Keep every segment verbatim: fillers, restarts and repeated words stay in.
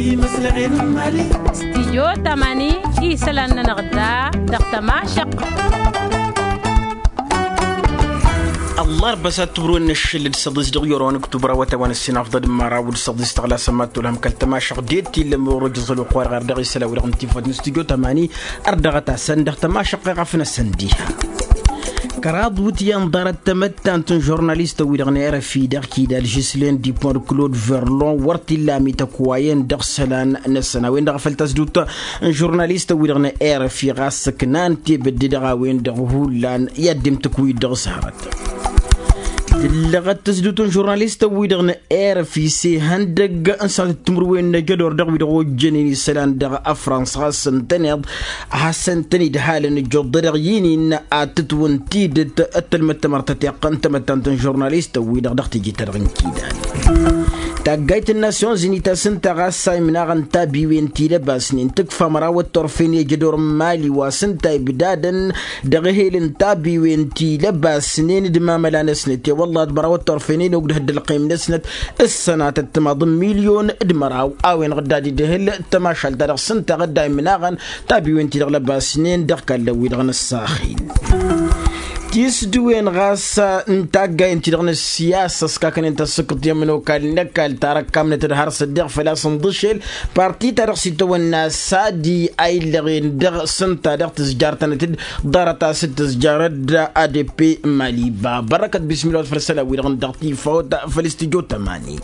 Stijyo tamani isălan-nănăɣ da dăɣ-tămašăq. Ăllarba s-ad tǝbrǝwăn n-ašăl d-săḍis dăɣ-i orăwăn ǝktubra wătawăn ăssinafḍăd n-măraw d-săḍis tăɣlasăm ad-tolhăm kăl-tămašăq d-e t-illa măwrăj ẓăl oqq wa dăɣ-err dăɣ-isălan wi-dăɣ n-tifăt n-stijyo tamani. Ărdăɣăt-asăn dăɣ-tămašăq iɣăf n-asăn diha. Kăraḍ wǝtyan ḍarăt tamăttant n-žurnalistăn-wi-dăɣ n-erăfi dăɣ-kidal žislen dipon d-klod verlon wăr t-illa amităkwayen dăɣ-isălan-năsăn a-wen-dăɣ a făl tăsdut n-žurnalistăn-wi-dăɣ n-erăfi ɣas ǝknan tebădde dăɣ-a-wen-dăɣ hullan i-ad-dd-imtǝkwǝyǝd dăɣ-s hărăt. Tǝllăɣăt tăsdut n-žurnalistăn-wi-dăɣ n-erăfi s-ihăndăgg n-sănatăt timǝrwen n-ajădor dăɣ-wi-dăɣ ojjănen isălan dăɣ-afrans ɣas ǝntăneḍ a hasăn-tăn-dd halăn ǝjjuḍ-dăɣ i-nin ad-tǝtwǝn tidǝt d-tălmăt tamărtăteɣt n-tamăttant n-žurnalistăn-wi-dăɣ dăɣ-teje-ta-dăɣ n-kidal. Taggayt n-nasyon zinit a-s ǝnta ɣas a imnaɣăn tabiwen ti lăbasnen tǝkfa mărawăt turfen i-ajădor n-mali wa s-ǝnta ibdadăn dăɣ-ehel n-tabiwen ti lăbasnen d-imamăla-năsnăt i-wălla d-mărawăt turfen i-nogdăh d-ălqim-năsnăt s-sănatăt timaḍ n-milyon d-măraw a-wen-dăɣ dd-ad-idhǝl tămašalt-ta-dăɣ s-ǝnta dd-a imnaɣăn tabiwen-ti-dăɣ lăbasnen dăɣ-kallăn-wi-dăɣ n-ăssaxil. Tisdǝwen ɣas n-taggayen-ti-dăɣ n-ăssiyasa ăskakănen tasǝkkǝḍt i-ămănokal n-ăkall tarăkkamnăt d-har s-ăddiɣ făl-a-s ǝnḍǝšel parti-ta-dăɣ s-itawănna sadi a illăɣen dăɣ-s ǝnta dăɣ-tǝzjartănăt-dd ḍarăt a-s dd-tǝzjarăd adp maliba bărrăkăt bismilawăt făll-isălan-wi-dăɣ n-dăɣ-tifawt făll-istijjo tămani.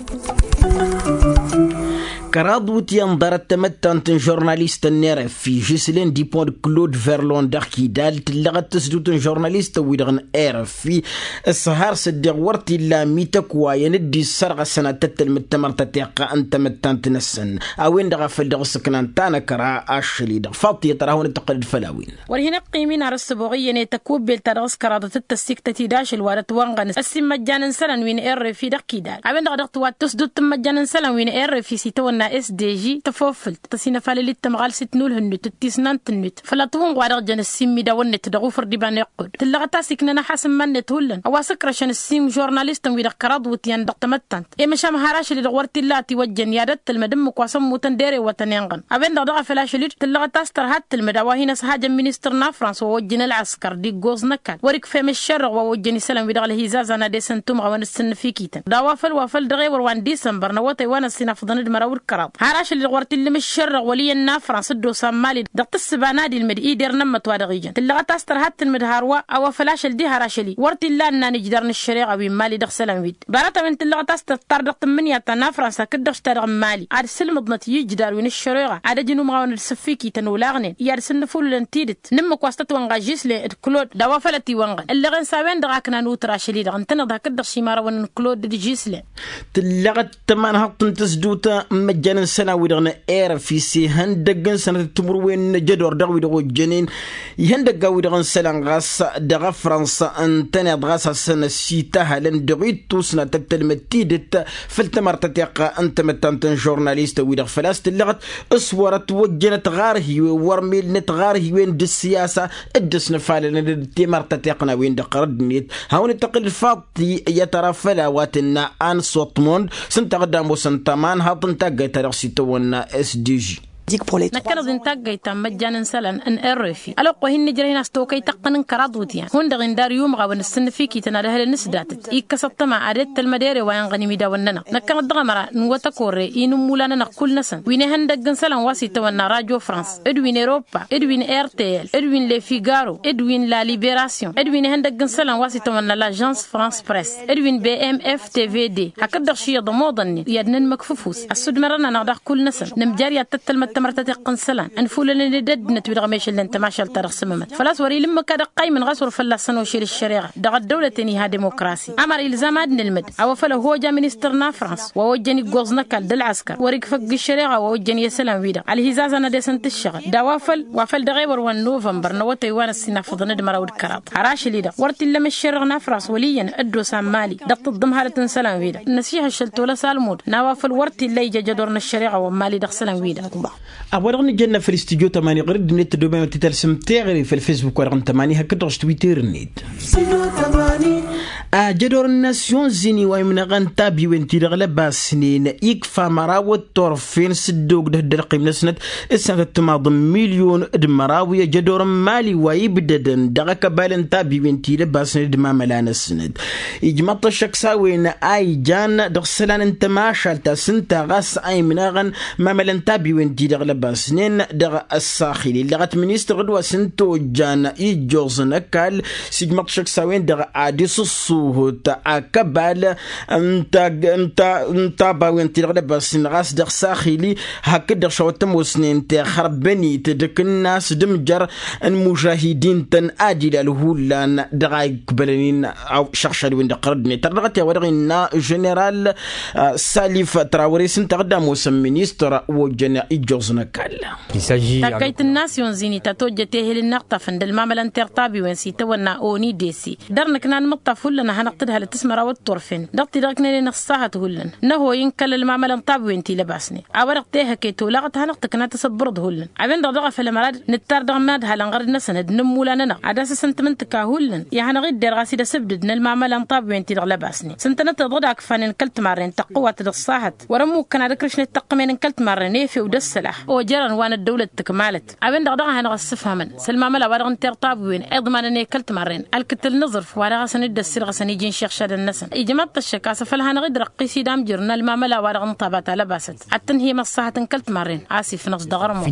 Kăraḍ wǝtyan ḍarăt tamăttant n-žurnalistăn n-erăfi žislen dipon d-klod verlon dăɣ-kidal tǝllăɣăt tǝsdut n-žurnalistăn-wi-dăɣ n-erăfi s-har s-ăddiɣ wăr t-illa amităkwayen dd-issărɣăsăn ad-tăt-tălmǝd tamărtăteɣt n-tamăttant-năsăn a-wen-dăɣ a făl dăɣ-s ǝknan tanăkra ašăl-i-dăɣ faḍt iyyăt ar ad-hawăn-dd-tăqqǝlăd făll-a-wen. Wăr hin-ăqqim-in ar ăssăboɣ iyyăn i-tăkubbelt ta dăɣ-s kăraḍăt d-tăssiktăt-i d-ašăl wa dăt-wănɣăn ăssimmăjjan n-isălan wi n-errefi dăɣ-kidal a-wen-dăɣ a dăɣ-tǝwat tăsdut tǝmmăjjan n-isălan wi n-errefi s-itawănna s d g tăfofǝlt tăsinăfalălit tămɣalsit n-ulhǝnnut d-tisnant-tǝnnut făll-ăṭṭuwǝnɣ wa dăɣ-jăn ăssimmidawăn-net dăɣ-ufǝr d-iba n-iqqud tǝllăɣăt a-s iknăn ăḥasǝmman-net hullan a-wa s-ǝkrăšăn ăssiim žurnalistăn-wi-dăɣ kăraḍ iwǝtyan dăɣ-tamăttant i-măšan har ašăl-i-dăɣ wăr t-illa a tiwăjjăn i-ad-ăttălmăd ǝmmǝk wa s-ămmutăn d-erewătăn inɣăn a-wen-dăɣ daɣ a făl ašăl-i-dd tǝllăɣăt a-s tărha ăttălmăd a-wa hin-ăshajăn ministăr n-afrans wa ojjăn ălɣăskăr d-iggoẓ n-ăkall wăr-ikfem ǝššărrăɣ wa ojjăn isălan-wi-dăɣ ălhizazan ad-esăn tumɣawăn d-sǝnnǝfikităn d-a-wa făl wa făl dăɣ-ewăr wa n-disămbăr n-awătay wa n-ăssinafăḍăn d-măraw d-kăraḍ har ašăl-i-dăɣ wăr t-illăm ǝššărrăɣ wăl' iyyăn n-afrans dd-osa n-mali dăɣ-tǝssǝba n-ad-ilmǝd ider n-ămmăt wa dăɣ-ijăn tǝllăɣăt a-s tărha ăttălmǝd hărwa a-wa făl ašăl diha ar ašăl-i wăr t-illa ănnan ijdar n-ăššăreɣa wi n-mali dăɣ-isălan-wi-dd ḍarăt-a-wen tǝllăɣăt a-s tăṭṭar dăɣ-tǝmmǝnǝya ta n-afrans hakd-dăɣ š-ta-dăɣ n-mali ad-sǝlmǝḍnăt i-ijdar wi n-ăššăreɣa ad-ăj inumɣawăn d-sǝffikităn olaɣnen i-ad-sǝnnǝfulǝlăn tidǝt n-ǝmmǝk wa s-tătwănɣa žislen d-klod d-a-wa făl ătiwănɣăn ǝllăɣen s-a-wen-dăɣ a ǝknan utǝr ašăl-i-dăɣ ǝntăneḍ hakd-dăɣ šimarăwăn n-klod d-žislen. Tǝllăɣăt tămanhăḍt n-tǝsdut n-imăjjan n-isălan-wi-dăɣ n-erăfi s-ihăndăgg n-sănătăt timǝrwen n-ajădor dăɣ-wi-dăɣ ojjănen ihăndăgg a-wi-dăɣ n-isălan ɣas dăɣ-afrans ǝntăneḍ ɣas ad-săn-ăsităhălăn dăɣ-ittus n-ad-tăt-tălmăd tidǝt făll-tamărtăteɣt n-tamăttant n-žurnalist-wi-dăɣ făl-a-s tǝllăɣăt s-wăr-ătwăjjănăt ɣar-hiwen wăr melnăt ɣar-hiwen d-ǝssiyasa dd-ăsnăfalălăn d-timărtăteɣt n-a-wen-dăɣ ɣărădd-net hawăn-dd-tăqqǝl fat i-ad-tăra făll-a-wa tǝnna an sotmond s-ǝnta ad-ămoosăn tămanhaḍt n-taggayt ta dăɣ-s itawănna s d g. Năkkăneḍ-i n-taggayt ta n-imăjjan n-isălan n-rfi ălwăqq wa hin-nǝjrăh-in a-s tokăy tăqqăn n-kăraḍ iwǝtyan hundăɣ-in dar i-umɣawăn ǝssǝnnǝfikităn ad-ehălăn s-datăt ikkăs ăṭṭăma ad-e-t tălmăd ere wa inɣăn imidawăn-nănăɣ năkkăneḍ dăɣ-ămăra n-iwwăt ăkorre i-inǝmmula-nănăɣ kull-năsăn wi n-ehăndăgg n-isălan wa s-itawănna radyo frans d-wi n-europa d-wi n-rtl d-wi n-lefigaro d-wi n-la liberasyon d-wi n-ehăndăgg n-isălan wa s-itawănna lažans frans press d-wi n-bmf tvd hakd-dăɣ šiyyăḍ ămoḍănnen i-ad-nǝnmăkf ăfuss ăssudmărăn-anăɣ daɣ kull-năsăn nǝmjar i-ad-tăt-tălmăd tamărtăteɣt n-isălan ǝnfulălăn d-ăddinăt wi dăɣ-mešăllăn tămašalt-ta-dăɣ s-ămămăt făl-a-s wăr-ila ǝmmǝk ad-ăqqaymǝn ɣas wăr fălla-săn ošel ăššăreɣa dăɣ-ăddăwlăten iha dimokrasi ămăra ilzam ad-nǝlmǝd a-wa făl ăhoj a ministăr n-afrans wa ojjăn iggoẓ n-ăkall d-ălɣăskăr wăr-ikfăgg ăššăreɣa wa ojjăn i-isălan-wi-dăɣ ălhizazăn ad-esăn-t ǝššăɣǝl d-a-wa făl wa făl dăɣ-ewăr wa n-novămbăr n-awătay wa n-ăssinafăḍăn d-măraw d-kăraḍ har ašăl-i-dăɣ wăr t-illăm ǝššărrăɣ n-afrans wăl' iyyăn dd-osa n-mali dăɣ-tǝḍḍǝmhalăt n-isălan-wi-dăɣ năsihăššăl tolăs almud n-a-wa făl wăr t-illa ija jădor n-ăššăreɣa wa n-mali dăɣ-isălan-wi-dăɣ. A-wa-dăɣ nǝjănna făll-istudyo tămani ɣur-dd-net tădomem ad-t-talsăm teɣăre făll-fesbuk-wa-dăɣ n-tămani hakd-dăɣ s-twitter-net. Ajădor n-nasyon zini wa imnăɣăn tabiwen-ti-dăɣ lăbasnen ikfa măraw d-turfen s-dd-ogdăh dd-ălqim-năsnăt s-sănatăt timaḍ n-milyon d-măraw i-ajădor n-mali wa ibdădăn dăɣ-akăbal n-tabiwen-ti lăbasnen d-mamăla-năsnăt. Ijmăḍ-t ăššăk s-a-wen a ijan dăɣ-isălan n-tămašalt ta s-ǝnta ɣas a imnăɣăn mamălăn tabiwen-ti-dăɣ lăbasnen dăɣ-ăssaxil illăɣăt ministăr ɣǝd wa s-ǝnta ojjan ijjoẓ n-ăkall. S-ijmăḍ-t ăššăk s-a-wen-dăɣ ad-dăɣ-s ǝṣṣuhǝt akăbal n-tabawen-ti-dăɣ lăbasnen ɣas dăɣ-saxili hakd-dăɣ šawăt tămoosnen tixărbănit d-akǝnnas d-amjăr n-imužahidin-tăn ad-ilal hullan dăɣ-a ikbălăn-in. Šăɣšad-wen-dăɣ ɣărăd-net tărdăɣăt i-a-wa-dăɣ innă ženeral salif trawăre s-ǝnta a dd-ămoosăn ministăr wa ojjăn ijjoẓ n-ăkall. Taggayt n-nasyon zini ta tojjăt ehel n-iɣtafăn d-ălmamălăn tirtabiwen s-itawănna oni desi dăr-nǝkna n-imǝṭṭaf hullan a hanăɣ-tǝdhălăt s-măraw d-turfen dăɣ-ti-dăɣ ǝknănen ăṣṣahăt hullan n-ehăy n-kăl-ălmamălăn tabiwen ti lăbasnen. A-wa-dăɣ tehăke tolăɣăt hanăɣ-tǝkna tasǝbbărăḍ hullan a-wen-dăɣ daɣ a făl ămăra d-nǝttar dăɣ-imadhalăn ɣărăd-năsăn d-inǝmmulan-nănăɣ ad-asǝsǝntǝm n-tǝka hullan. I-ad-hanăɣ-idder ɣas idăs ǝbdǝd n-ălmamălăn tabiwen-ti-dăɣ lăbasnen s-ǝntănăt iḍăd a ǝkfanen kăl-timarren tăqqǝwat dăɣ-ăṣṣahăt. Wăr-ămmukkăn ad-ǝkrǝšnet tăqqǝmen n-kăl-timarren efew d-ăssălax ojărăn wa n-ăddăwlăt tǝkmalăt. A-wen-dăɣ daɣ a hanăɣ-ăssǝfhamăn s-ălmamăla wa dăɣ-n tirtabiwen iḍmanăn i-kăl-timarren ălkǝtǝl n-aẓrǝf wa daɣ a-s ănidăssir ɣas ănij inšiɣšadăn-năsăn. Ijmăḍ-t ăššăk a-s afăl hanăɣ-dd-răqqis idamjǝr n-ălmamăla wa dăɣ-n tabata lăbasăt ad-tǝnhǝyăm ăṣṣahăt n-kăl-timarren a-s ifnăẓ dăɣ-ărmăw.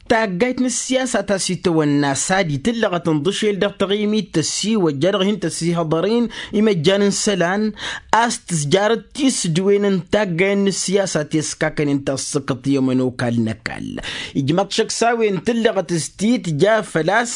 Taggayt n-ǝssiyasa ta s-itawănna sadi tǝllăɣăt ǝnḍǝšel dăɣ-taɣimit tăssiwăjja dăɣ-hin-tăssihăḍăr-in imăjjan n-isălan a-s tǝzjarăt tisǝdwen n-taggay n-ǝssiyasa ti ăskakănen ta s-sǝkǝḍ i-ămănokal n-ăkall. Ijmăḍ šăkk s-a-wen tǝllăɣăt s-ti-tǝja făl-a-s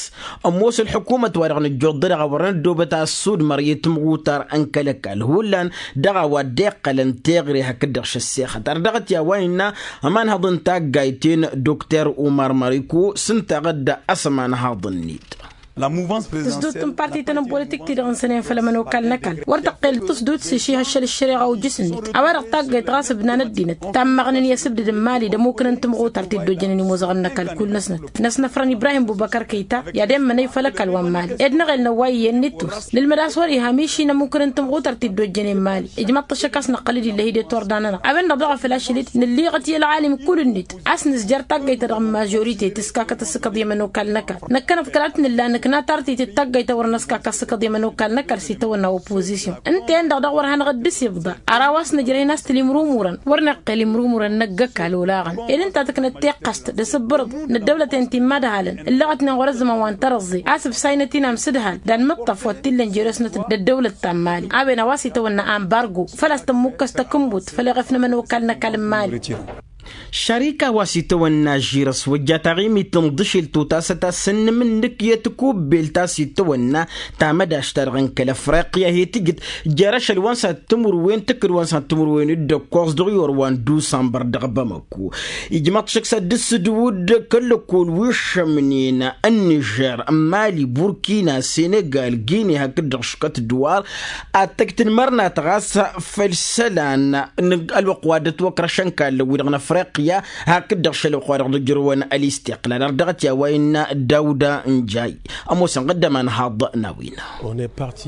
ămoos ălḥukumăt-wa-dăɣ nǝjjuḍ-dăɣ a wărăn ăddoobăt a ăssudmăr i-timɣutar n-kăl-ăkall hullan dăɣ-a-wa dd-iqqălăn teɣre hakd-dăɣ šăssexăt ar dăɣ-t i-a-wa innă ămanhăḍ n-taggayt-en dokter umar măriku s-ǝnta ɣǝdda a-s ămanhăḍ-net. Tǝsdut n-parti-tăn n-politik-ti-dăɣ ǝnsănen făll-ămănokal n-ăkall wăr tăqqel tǝsdut s-išihăššăl ǝššăreɣa ojjǝs-net. A-wa-dăɣ taggayt ɣas ǝbnan ăddinăt tammăɣnen i-asǝbdǝd n-mali d-ămmukǝn n-timɣutar ti dd-ojjănen imuzăɣăn n-ăkall kull-năsnăt. Năsnăfrăn ibrahim bubăkăr kăyta i-ad-emmănăy făll-ăkall wa n-mali ed năɣel n-ăwway iyyăn n-ittus. Nǝlmăd a-s wăr-iha miši n-ămmukǝn n-timɣutar ti dd-ojjănen mali. Ijmăḍ-t ăššăk a-s năqqăl-dd ill'-e-hi d-e-turda-nănăɣ a-wen-dăɣ daɣ a făl ašăl-dd nǝlliɣăt i-ălɣalim kull-net a-s nǝzjăr taggayt-ta-dăɣ n-mažorite tǝskakăt ăssǝkăḍ i-ămănokal n-ăkall. Năkkăneḍ kăla t-nǝlla nǝkna tartit d-taggayt ta wăr năskak ăssǝkăḍ i-ămănokal n-ăkall s-itawănna opozisyon. Ǝnta-en-dăɣ daɣ wăr hanăɣ-dd-ǝsibḍa. Ar a-wa s-nǝjrăh-in a-s tǝlimrumurăn wăr năqqel imrumurăn năgg-ăkall olaɣăn. Ed ǝnta tǝknăt tiqqăst d-asǝbbărǝḍ n-ăddăwlăten ti n-imadhalăn ǝllăɣătnen ɣur-ăzzăman wa n-tărăẓẓe a-s ǝbsaynet-in amsǝdhal d-anmǝṭṭaf wa t-illăn jere-snăt d-ăddăwlăt ta n-mali a-wen a-wa s-itawănna ambargo făl-a-s tămmukkăs takǝnbut făll-eɣef n-ămănokal n-ăkall n-mali. Šarika wa s-itawănna žirăs wăjja taɣimit tǝnḍǝšel totasăt a-s ǝnnǝmǝnnǝk i-tikubbelt a-s itawănna tamădašt-ta-dăɣ n-kăl-afriqya he-tǝjǝt jer-ašăl wa n-sănat timǝrwen tǝkkǝd wa n-sănat timǝrwen d-ǝkkoẓ dăɣ-iwăr wa n-dusănbăr dăɣ-bamăko. Ijmăḍ šăkk s-ad-dd-sǝdǝwǝd kăl-lăkkol wi ǝššămnen n-nižer, mali, burkina, senegal, gine hakd-dăɣ šukăt dăwar ad-tăjj tǝnmărnat ɣas făll-isălan n-ălwăqq wa dd-ătwăkrăšăn kallăn-wi-dăɣ n-afriqya. Hakd-dăɣ šălwăqq wa dăɣ-nǝjrǝwăn ălistiqlal ar dăɣ-t i-a-wa innă dawda n-jay. Ămoosăn ɣǝddăm anhaḍ n-a-wen.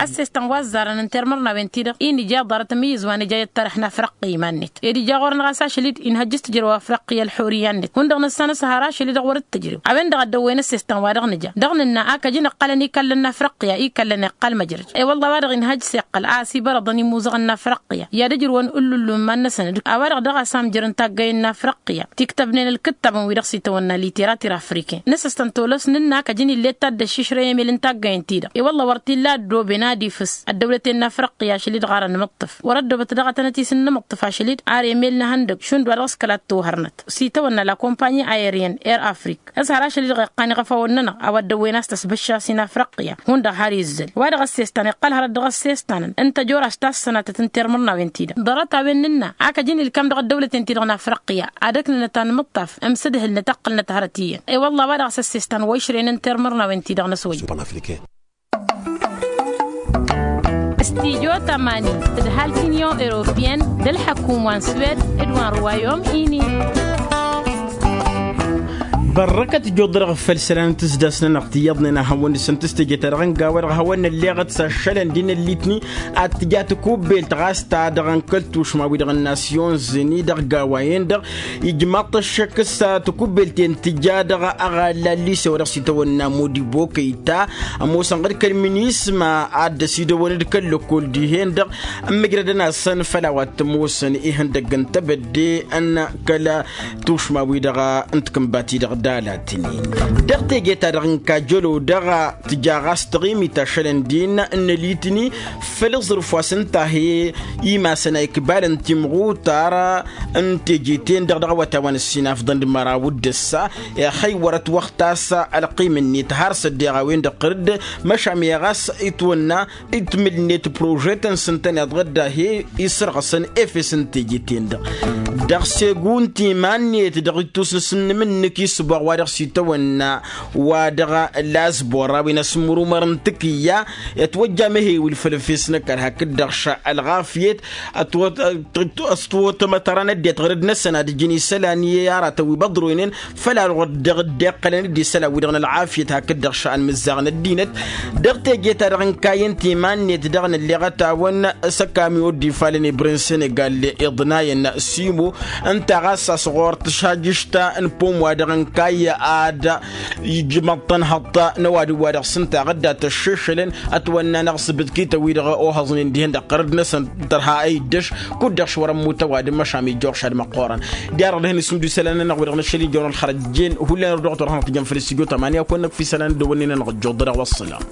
Ăssestan wa ăzzarăn n-termărnawen-ti-dăɣ-i nǝja ḍarăt ămǝyyǝz wa nǝja i-ăttărăh n-afriqqa iman-net ed ija ɣur-năɣ a-s ašăl-dd inhăjj s-tǝjrăw afriqqa i-ălxuriyya-net hundăɣ nǝssan s-hărăš ălidăɣ wăr-dd-tǝjrew. A-wen-dăɣ a dd-ăwwen ăssestan-wa-dăɣ nǝja dăɣ-nǝnna a kăjăn iqqălăn ikallăn n-afriqqa ikallăn iqqăl măjrăj. I-wălla a-wa-dăɣ inhăjj s-iqqăl a ăsibărăḍăn imuzăɣăn n-afriqqa i-ad-ǝjrǝwăn ǝllullu n-iman-năsăn d-a-wa-dăɣ daɣ a-s amjăr n-taggăyăn n-afriqqa tiktăbnen ălkǝttabăn wi-dăɣ s-itawănna literatir afriken nǝsăstăn tolăs nǝnna a kăjăn ill'-e d taddăššišrăy emel n-taggăyăn-ti-dăɣ i-wălla wăr t-illa ăddooben ad-ifǝs ăddăwlăten n-afriqqa ašăl-dd ɣarăn imǝṭṭǝf wăr-ăddoobăt daɣ a tănăt-isǝnnǝmǝṭṭǝf ašăl-dd ar emel n-ehăndăgg šund wa dăɣ-s kăla t-tohărnăt s-itawănna la kompanyi aeryen air afrik. S-har ašăl-dd-dăɣ iqqan iɣăfawăn-nănăɣ a-wa dd-ăwwen a-s tăsbăšša s-in-afriqya hundăɣ har izzăl wa dăɣ-ăssestan iqqăl hărăt dăɣ-ăssestanăn n-tăjora s-tassănatăt n-termărnawen-ti-dăɣ ḍarăt-a-wen nǝnna a kăjăn ilkam dăɣ-ăddăwlăten-ti-dăɣ n-afriqya ad-ǝknǝnăt anmǝṭṭaf ămsǝdhǝlnăt ăqqǝlnăt hărăt iyyăn. I-wălla a-wa dăɣ-s ăssestan wa išrăyăn n-termărnawen-ti-dăɣ n-ăswăjj. Stijo tămani tǝdhal tinyon europiyăn d-ălḥăkum wa n-swed d-wa n-ruwayom ini. Ărrăkăt ijjuḍ-dăɣ făll-isălan n-tǝzdas-nănăɣ ti iyyăḍnen a hawăn-dăɣ săn tǝstejăt-ta-dăɣ n-gawăy-dăɣ hawăn-nălleɣăt s-ašălăn d-inăllitni ad-tǝja takubelt ɣas ta-dăɣ n-kăl tušmawi-dăɣ n-nasyon zini dăɣ-gawa-en-dăɣ. Ijmaḍ-t ăššăk s-takubelt-en tǝja dăɣ-aɣalla n-lise wa dăɣ-s itawănna modibo kăyta ămoosăn ɣǝd kăl-minisma ad-dd-ăsidăwăn d-kăl-lăkkol dihen-dăɣ ǝmmǝjrădăn-asăn făll-a-wa t-ămoosăn ihăndăgg n-tebădde n-kăl-tušmawi-dăɣ n-tikǝnbat-i-dăɣ d-alatnin. Dăɣ-teje-ta-dăɣ n-kajălo-dăɣ tǝja ɣas taɣimit ašălăn din n-ălitni făll-aẓrǝf wa s-ǝnta he-imasăn a ikbalăn timɣutar n-teje-ten-dăɣ dăɣ-awătay wa n-ǝssinafḍăn d-măraw d-ǝssa. Ixăy wăr-ătwăxtas ălqim-net har s-ăddeɣ a-wen-dăɣ ɣǝr-dd măšan ɣas itwănna itmǝl-net prožetăn s-ǝntăneḍ ɣǝdda he-isărɣăsăn efes n-teje-ten-dăɣ. Dăɣ-segu n-timan-net dăɣ-ittus n-asǝnnǝm-nǝk isǝbbaɣ wa dăɣ-s itawănna wa dăɣ-lazbor a-wen asǝmmărumăr n-tǝkǝyya. Ătwăjja amehewǝl făll-efes n-ăkall hakd-dăɣ ša ălɣafyăt ăstăwăt ămătăra n-ăddinăt ɣur-dd-năsăn ad-ǝjǝn isălan i-aratăn wi băḍroynen făll-a-dăɣ dăɣ-dd-iqqălăn d-isălan-wi-dăɣ n-ălɣafyăt hakd-dăɣ ša ănmǝzzaɣ n-ăddinăt. Dăɣ-teje-ta-dăɣ n-kayy ǝnta iman-net dăɣ-nălleɣăt-awăn s-ăkamiyo dd-ifalăn ibren senegal iḍnayăn simo ǝnta ɣas a-s ɣur-t šajǝšta n-pom wa dăɣ-n-kayy ad-ijmăḍ-tăn hăṭṭa n-ăwadǝm wa dăɣ-s ǝnta ɣǝdda tăššešălăn ătwănna n-aɣsǝbǝd kităn-wi-dăɣ ohăẓnen dihen-dăɣ ɣur-dd-năsăn tărha ăyy ǝddăš. Kud-dăɣ š-wăr-ămmut ăwadǝm măšan ijjoɣ šad măqqoorăn. Diarăɣ dăɣ-hin-isǝmdu isălan-nănăɣ wi-dăɣ n-ašăl ijăwăn ălxărăt jen hullan ărdăɣăt wăr hanăɣ-tǝjăn făll-istijyo tămanya kăwăn-năkf isălan dd-ăwănnen-anăɣ ăjjuḍ-dăɣ wăṣṣălam.